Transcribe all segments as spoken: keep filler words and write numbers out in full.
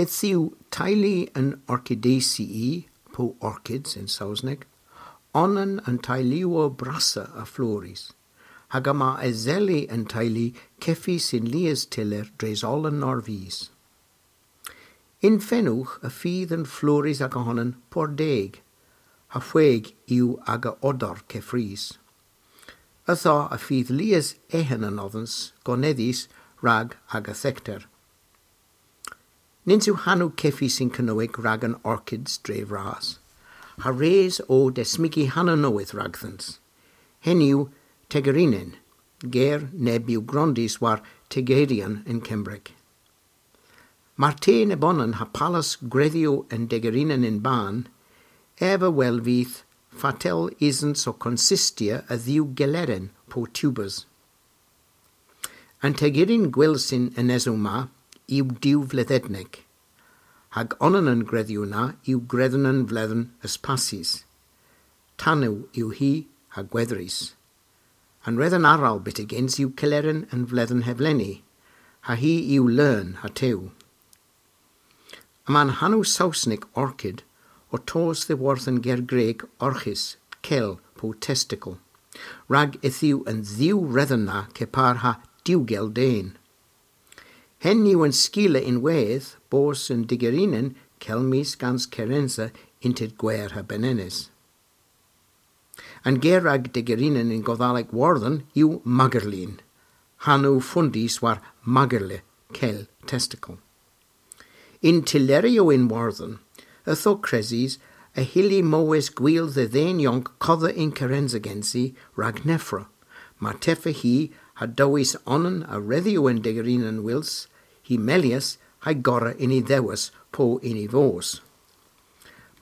Yth yw teylu an Orchidaceae, po orchids yn Sowsnek, onan a'n teyluyow brassa a floris, hag yma eseli an teylu kevys yn lies tyller dres oll an norvys. Yn fenowgh y fydh an floris aga honan pur deg, ha hweg yw aga odor keffrys. Ytho y fydh lies eghen anodhans gonedhys rag aga thekter. Nyns yw hanow kevys yn Kernewek rag an orchids dre vras, ha res o desmygi hanow nowydh ragdhyns. Henn yw tegerinen, ger neb yw grondys war tegerian yn Kembrek. Mar te nebonan ha palas gwredhyow an degerinen yn ban, ev a welvydh fatel esens ow konsistya a dhiw geleren po tubers. An tegerin gwyls y'n enesow ma yw diwvledhednek, hag onan a'n gwredhyow na yw gwredhen an vledhen eus passys. Tanow yw hi ha gwedhrys. An wredhen arall byttegyns yw keleren an vledhen hevleni, ha hi yw leun ha tew. Yma'n hanow Sowsnek orchid ow tos dhyworth an ger Grek orchis, kel po testicle, rag yth yw an dhiw wredhen na kepar ha diwgel den. Henn yw an skila ynwedh bos an degerinen kelmys gans kerensa ynter gwer ha benenes. An ger rag degerinen yn Godhalek Wordhen yw magerlin, hanow fondys war magerle, kel testicle. Yn tylleryow yn Wordhen, ytho kresys, y hylli mowes gwil dhe dhen yonk kodha yn kerensa gensi rag nevra, mar tevva hi ha dowes onan a wredhyow an degerinen wyls, hy melyas ha'y gorra yn y dhewis po yn y voos.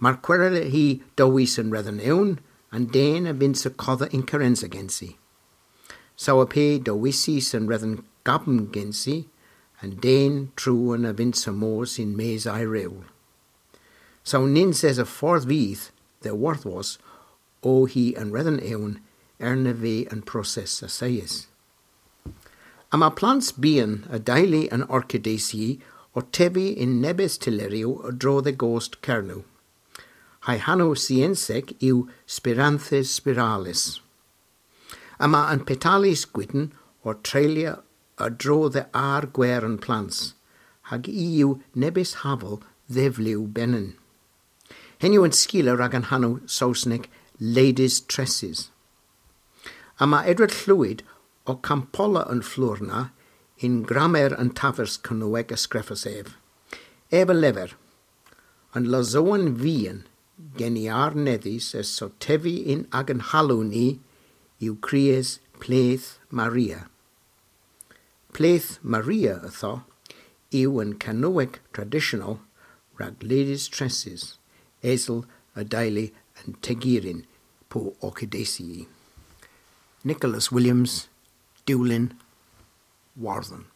Mar kwerel hi dowes an wredhen ewn, an den a vynnsa kodha yn kerensa gensi. Saw a pe dowesys an wredhen gabm gensi, an den truan a vynnsa mos yn-mes a'y rewl. Saw nyns esa fordh vyth dhe worthwos ow hi an wredhen ewn erna veu an proses assayys. Yma plans byghan a deylu an Orchidaceae ow tevi yn nebes tylleryow a-dro dhe gost Kernow. Ha'y hanow syensek yw Spiranthes spiralis. Yma an petalys gwynn ow treylya a-dro dhe argwer an plans, hag i yw nebes haval dhe vlew benyn. Henn yw an skila rag an hanow Sowsnek Ladies' Tresses. Yma Edward Llwyd ow kampolla an flour na yn Gramer an Tavas Kernewek a skrifas ev. Ev a lever, an losowen vian gen i arnedhys eus ow tevi yn agan halow ni yw kriys Pleth Maria. Pleth Maria ytho yw an Kernewek tradisyonel rag Ladies' Tresses, esel a deylu an tegerin po Orchidaceae. Nicholas Williams, Dulyn, Wordhen.